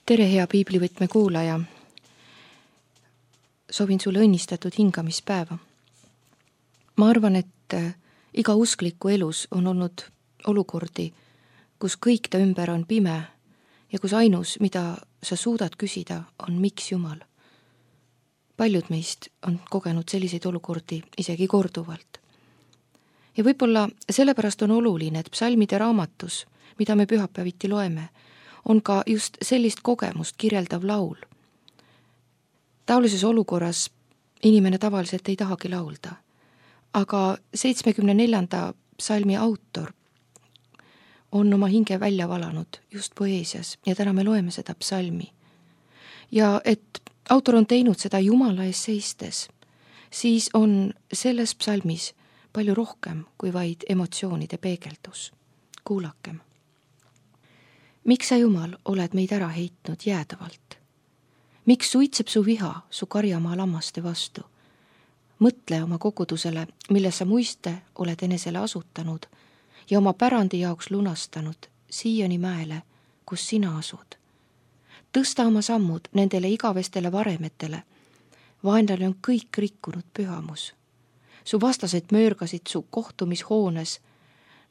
Tere, hea piiblivõtme kuulaja! Soovin sulle õnnistatud hingamispäeva. Ma arvan, et iga uskliku elus on olnud olukordi, kus kõik ta ümber on pime ja kus ainus, mida sa suudad küsida, on miks Jumal. Paljud meist on kogenud selliseid olukordi isegi korduvalt. Ja võib-olla sellepärast on oluline, et psalmide raamatus, mida me pühapäeviti loeme, on ka just sellist kogemust kirjeldav laul. Taolises olukorras inimene tavaliselt ei tahagi laulda, aga 74. psalmi autor on oma hinge välja valanud just poeesias ja täna me loeme seda psalmi. Ja et autor on teinud seda Jumala ees seistes, siis on selles psalmis palju rohkem kui vaid emotsioonide peegeldus. Kuulakem. Miks sa, Jumal, oled meid ära heitnud jäädavalt? Miks suitseb su viha su karjamaa lammaste vastu? Mõtle oma kogudusele, mille sa muiste oled enesele asutanud ja oma pärandi jaoks lunastanud Siioni mäele, kus sina asud. Tõsta oma sammud nendele igavestele varemetele. Vaenlane on kõik rikkunud pühamus. Su vastased möörgasid su kohtumishoones.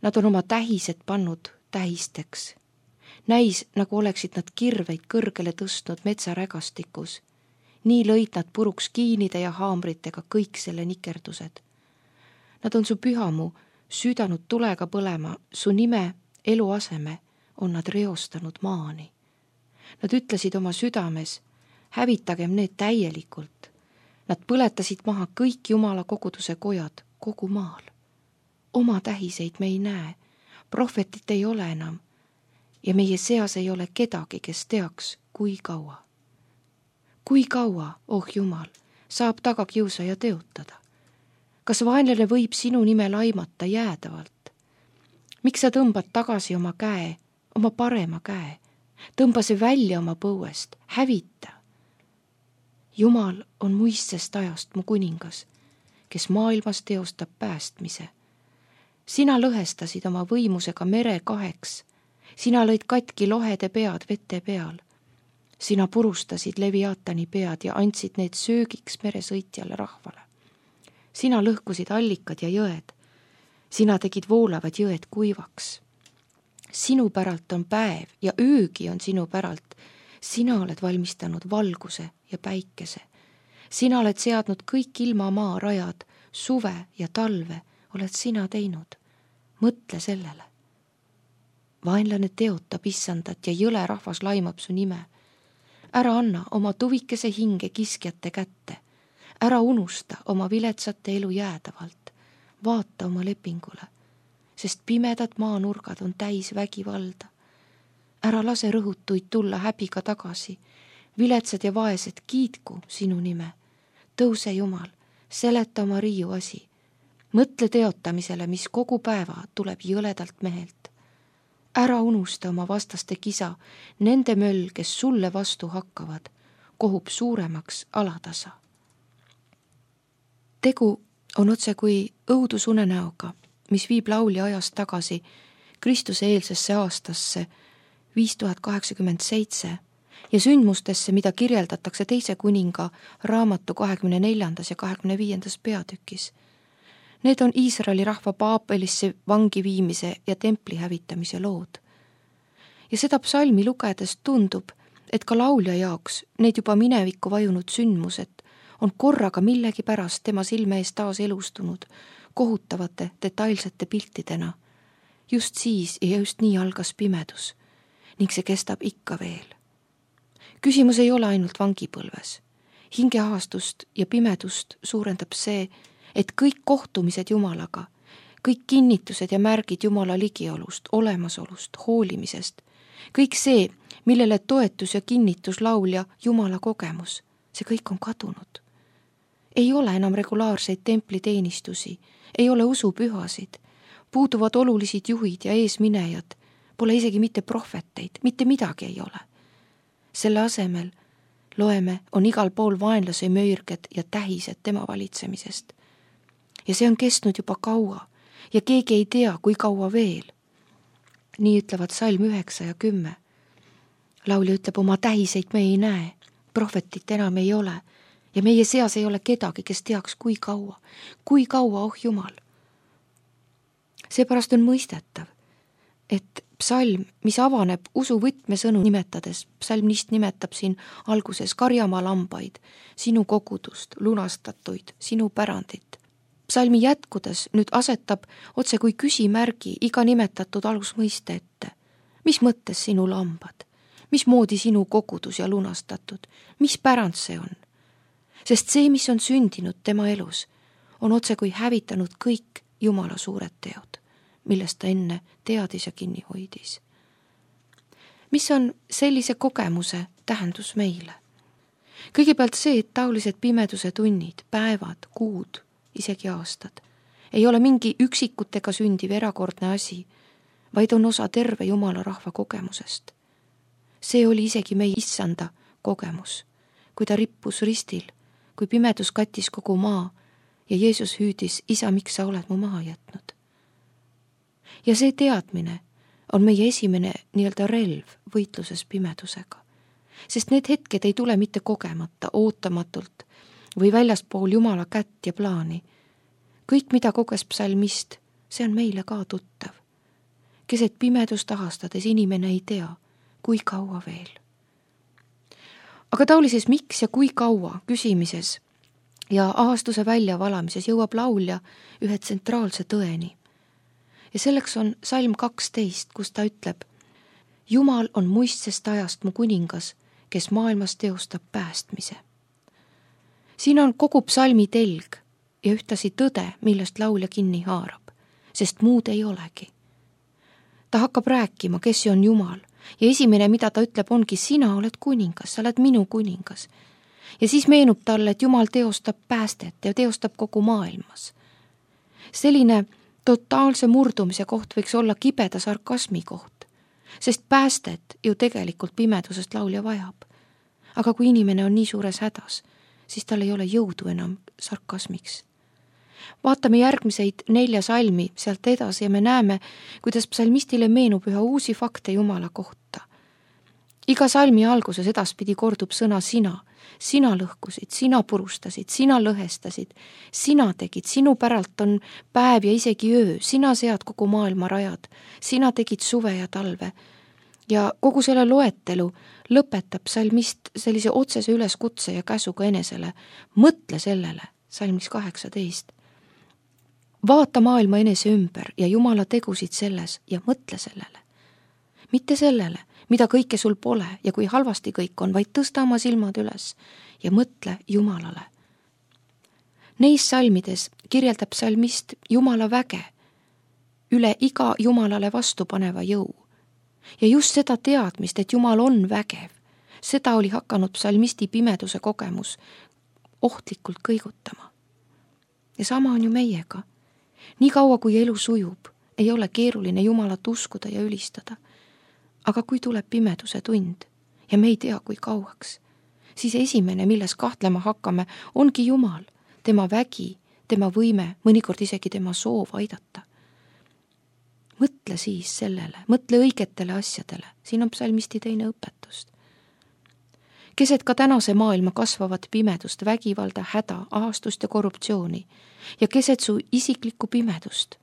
Nad on oma tähised pannud tähisteks. Näis, nagu oleksid nad kirveid kõrgele tõstnud metsarägastikus. Nii lõid nad puruks kiinide ja haamritega kõik selle nikerdused. Nad on su pühamu süüdanud tulega põlema, su nime, eluaseme on nad reostanud maani. Nad ütlesid oma südames, hävitagem need täielikult. Nad põletasid maha kõik Jumala koguduse kojad kogu maal. Oma tähiseid me ei näe, prohvetit ei ole enam ja meie seas ei ole kedagi, kes teaks, kui kaua. Kui kaua, oh Jumal, saab tagakiusaja teotada? Kas vaenlane võib sinu nime laimata jäädavalt? Miks sa tõmbad tagasi oma käe, oma parema käe? Tõmba see välja oma põuest, hävita. Jumal on muistsest ajast mu kuningas, kes maailmas teostab päästmise. Sina lõhestasid oma võimusega mere kaheks. Sina lõid katki lohede pead vete peal. Sina purustasid Leviatani pead ja andsid need söögiks meresõitjale rahvale. Sina lõhkusid allikad ja jõed. Sina tegid voolavad jõed kuivaks. Sinu päralt on päev ja öögi on sinu päralt. Sina oled valmistanud valguse ja päikese. Sina oled seadnud kõik ilmamaa rajad, suve ja talve oled sina teinud. Mõtle sellele. Vaenlane teotab issandat ja jõle rahvas laimab su nime. Ära anna oma tuvikese hinge kiskjate kätte. Ära unusta oma viletsate elu jäädavalt. Vaata oma lepingule, sest pimedad maanurgad on täis vägivalda. Ära lase rõhutuid tulla häbiga tagasi. Viletsad ja vaesed kiitku sinu nime. Tõuse Jumal, seleta oma riiu asi. Mõtle teotamisele, mis kogu päeva tuleb jõledalt mehelt. Ära unusta oma vastaste kisa, nende möll, kes sulle vastu hakkavad, kohub suuremaks alatasa. Tegu on otse kui õudusunenäoga, mis viib laulja ajast tagasi Kristuse eelsesse aastasse 5087 ja sündmustesse, mida kirjeldatakse teise kuninga raamatu 24. ja 25. peatükis. Need on Iisraeli rahva Paapelisse vangi viimise ja templi hävitamise lood. Ja seda psalmi lugedes tundub, et ka laulja jaoks need juba minevikku vajunud sündmused on korraga millegi pärast tema silme ees taas elustunud kohutavate detailsete piltidena. Just siis ja just nii algas pimedus ning see kestab ikka veel. Küsimus ei ole ainult vangipõlves. Hingeahastust ja pimedust suurendab see, et kõik kohtumised Jumalaga, kõik kinnitused ja märgid Jumala ligiolust, olemasolust, hoolimisest, kõik see, millele toetus ja kinnitus laulja Jumala kogemus, see kõik on kadunud. Ei ole enam regulaarseid templiteenistusi, ei ole usupühasid, puuduvad olulisid juhid ja eesminejad, pole isegi mitte prohveteid, mitte midagi ei ole. Selle asemel, loeme, on igal pool vaenlase möörged ja tähised tema valitsemisest. Ja see on kestnud juba kaua ja keegi ei tea, kui kaua veel. Nii ütlevad salm 9 ja 10. laulja ütleb, oma tähiseid me ei näe, prohvetit enam ei ole ja meie seas ei ole kedagi, kes teaks, kui kaua, oh Jumal. Seepärast on mõistetav, et psalm, mis avaneb usu võtmesõnu nimetades, psalmist nimetab siin alguses karjamaa lambaid, sinu kogudust, lunastatuid, sinu pärandit. Psalmi jätkudes nüüd asetab otse kui küsimärgi iga nimetatud algusmõiste ette. Mis mõttes sinu lambad? Mismoodi sinu kogudus ja lunastatud? Mis pärand see on? Sest see, mis on sündinud tema elus, on otse kui hävitanud kõik Jumala suured teod, millest ta enne teadis ja kinni hoidis. Mis on sellise kogemuse tähendus meile? Kõigepealt see, et taolised pimeduse tunnid, päevad, kuud, isegi aastad, ei ole mingi üksikutega sündiv erakordne asi, vaid on osa terve Jumala rahva kogemusest. See oli isegi meie issanda kogemus, kui ta rippus ristil, kui pimedus kattis kogu maa ja Jeesus hüüdis, isa, miks sa oled mu maha jätnud? Ja see teadmine on meie esimene nii-öelda relv võitluses pimedusega, sest need hetked ei tule mitte kogemata, ootamatult või väljaspool Jumala kätt ja plaani. Kõik, mida koges psalmist, see on meile ka tuttav. Keset pimedust ahastades inimene ei tea, kui kaua veel. Aga taolises miks ja kui kaua küsimises ja ahastuse väljavalamises jõuab laulja ühe tsentraalse tõeni. Ja selleks on salm 12, kus ta ütleb, Jumal on muistsest ajast mu kuningas, kes maailmas teostab päästmise. Siin on kogu psalmi telg ja ühtasi tõde, millest laulja kinni haarab, sest muud ei olegi. Ta hakkab rääkima, kes on Jumal ja esimene, mida ta ütleb, ongi, sina oled kuningas, sa oled minu kuningas. Ja siis meenub talle, et Jumal teostab päästet ja teostab kogu maailmas. Selline totaalse murdumise koht võiks olla kibeda sarkasmi koht, sest päästet ju tegelikult pimedusest laulja vajab. Aga kui inimene on nii suures hädas, siis tal ei ole jõudu enam sarkasmiks. Vaatame järgmiseid 4 salmi sealt edasi ja me näeme, kuidas psalmistile meenub üha uusi fakte Jumala kohta. Iga salmi alguses edaspidi kordub sõna sina. Sina lõhkusid, sina purustasid, sina lõhestasid, sina tegid, sinu päralt on päev ja isegi öö, sina sead kogu maailma rajad, sina tegid suve ja talve. Ja kogu selle loetelu lõpetab psalmist sellise otsese üleskutse ja käsuga enesele. Mõtle sellele, salmis 18. Vaata maailma enese ümber ja Jumala tegusid selles ja mõtle sellele. Mitte sellele, mida kõike sul pole ja kui halvasti kõik on, vaid tõsta oma silmad üles ja mõtle Jumalale. Neis salmides kirjeldab psalmist Jumala väge üle iga Jumalale vastupaneva jõu. Ja just seda teadmist, et Jumal on vägev, seda oli hakanud psalmisti pimeduse kogemus ohtlikult kõigutama. Ja sama on ju meiega. Nii kaua, kui elu sujub, ei ole keeruline Jumalat uskuda ja ülistada. Aga kui tuleb pimeduse tund ja me ei tea, kui kauaks, siis esimene, milles kahtlema hakkame, ongi Jumal, tema vägi, tema võime, mõnikord isegi tema soov aidata. Mõtle siis sellele, mõtle õigetele asjadele, siin on psalmisti teine õpetust. Keset ka tänase maailma kasvavat pimedust, vägivalda, häda, ahastust ja korruptsiooni ja keset su isiklikku pimedust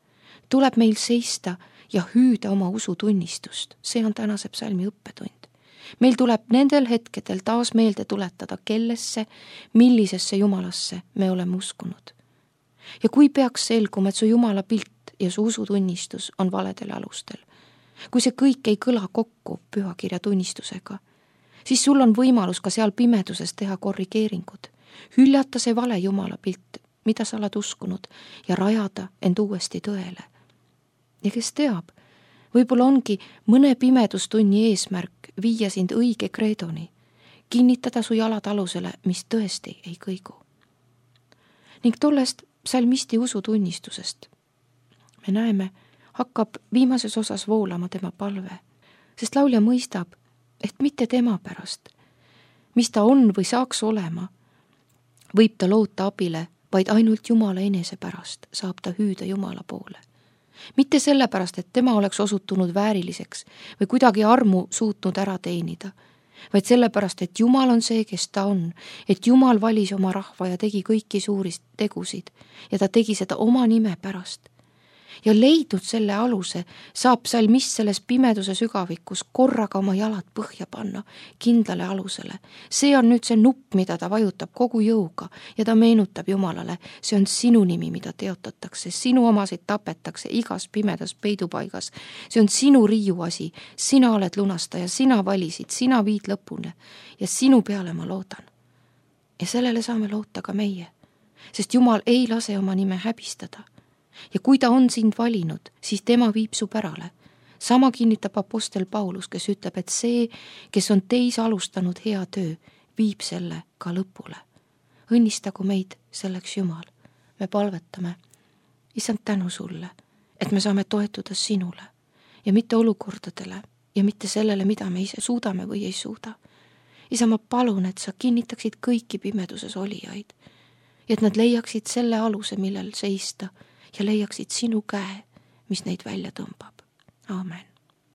tuleb meil seista ja hüüda oma usutunnistust. See on tänase psalmi õppetund. Meil tuleb nendel hetkedel taas meelde tuletada, kellesse, millisesse Jumalasse me oleme uskunud. Ja kui peaks selguma, et su Jumala pilt ja su usutunnistus on valedel alustel, kui see kõik ei kõla kokku pühakirja tunnistusega, siis sul on võimalus ka seal pimeduses teha korrigeeringud, hüljata see vale Jumala pilt, mida sa oled uskunud ja rajada end uuesti tõele. Ja kes teab, võib-olla ongi mõne pimedustunni eesmärk viia sind õige kreedoni, kinnitada su jalad alusele, mis tõesti ei kõigu. Ning tollest psalmisti usutunnistusest me näeme, hakkab viimases osas voolama tema palve, sest laulja mõistab, et mitte tema pärast, mis ta on või saaks olema, võib ta loota abile, vaid ainult Jumala enese pärast saab ta hüüda Jumala poole. Mitte sellepärast, et tema oleks osutunud vääriliseks või kuidagi armu suutnud ära teenida, vaid sellepärast, et Jumal on see, kes ta on, et Jumal valis oma rahva ja tegi kõiki suuri tegusid ja ta tegi seda oma nime pärast. Ja leidnud selle aluse, saab salmist selles pimeduse sügavikus korraga oma jalad põhja panna kindlale alusele. See on nüüd see nupp, mida ta vajutab kogu jõuga ja ta meenutab Jumalale, see on sinu nimi, mida teotatakse, sinu omasid tapetakse igas pimedas peidupaigas. See on sinu riiuasi, sina oled lunastaja, sina valisid, sina viid lõpuni ja sinu peale ma loodan. Ja sellele saame loota ka meie, sest Jumal ei lase oma nime häbistada. Ja kui ta on sind valinud, siis tema viib su pärale. Sama kinnitab apostel Paulus, kes ütleb, et see, kes on teis alustanud hea töö, viib selle ka lõpule. Õnnistagu meid selleks Jumal. Me palvetame, Issand, tänu sulle, et me saame toetuda sinule ja mitte olukordadele ja mitte sellele, mida me ise suudame või ei suuda. Isa, ma palun, et sa kinnitaksid kõiki pimeduses olijaid ja et nad leiaksid selle aluse, millel seista ja leiaksid sinu käe, mis neid välja tõmbab. Aamen.